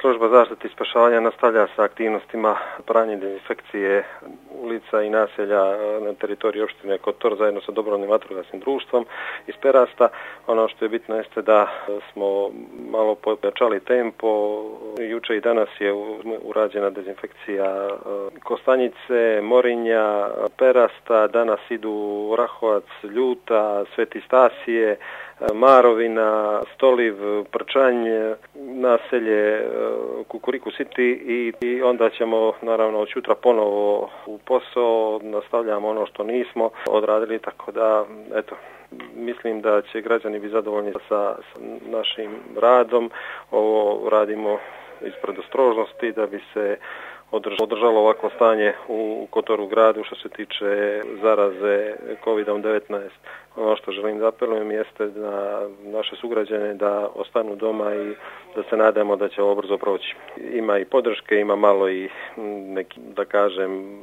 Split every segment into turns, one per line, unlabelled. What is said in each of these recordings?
Služba zaštite i spašavanja nastavlja sa aktivnostima pranja dezinfekcije ulica i naselja na teritoriji opštine Kotor zajedno sa dobrovoljnim vatrogasnim društvom iz Perasta. Ono što je bitno jeste da smo malo pojačali tempo. Juče i danas je urađena dezinfekcija Kostanjice, Morinja, Perasta, danas idu Rahovac, Ljuta, Sveti Stasije, Marovina, Stoliv, Prčanj, naselje Kukuriku City i onda ćemo naravno od jutra ponovo u posao, nastavljamo ono što nismo odradili, tako da eto, mislim da će građani biti zadovoljni sa našim radom. Ovo radimo ispred ostrožnosti da bi se održalo ovako stanje u Kotoru gradu što se tiče zaraze COVID-19. Ono što želim da apelujem jeste na naše sugrađane da ostanu doma i da se nadamo da će ovo brzo proći. Ima i podrške, ima malo i neki, da kažem,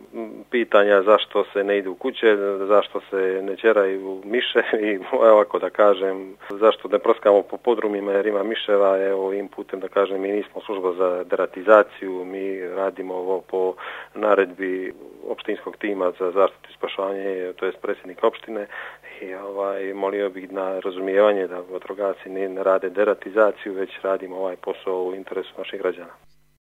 pitanja zašto se ne ide u kuće, zašto se ne ćeraju miše i ovako da kažem, zašto ne proskamo po podrumima jer ima miševa. Evo im putem da kažem, mi nismo služba za deratizaciju, mi radimo ovo po naredbi opštinskog tima za zaštitu i spašavanje, to je predsjednik opštine i molio bih na razumijevanje da vatrogasci ne rade deratizaciju, već radimo ovaj posao u interesu naših građana.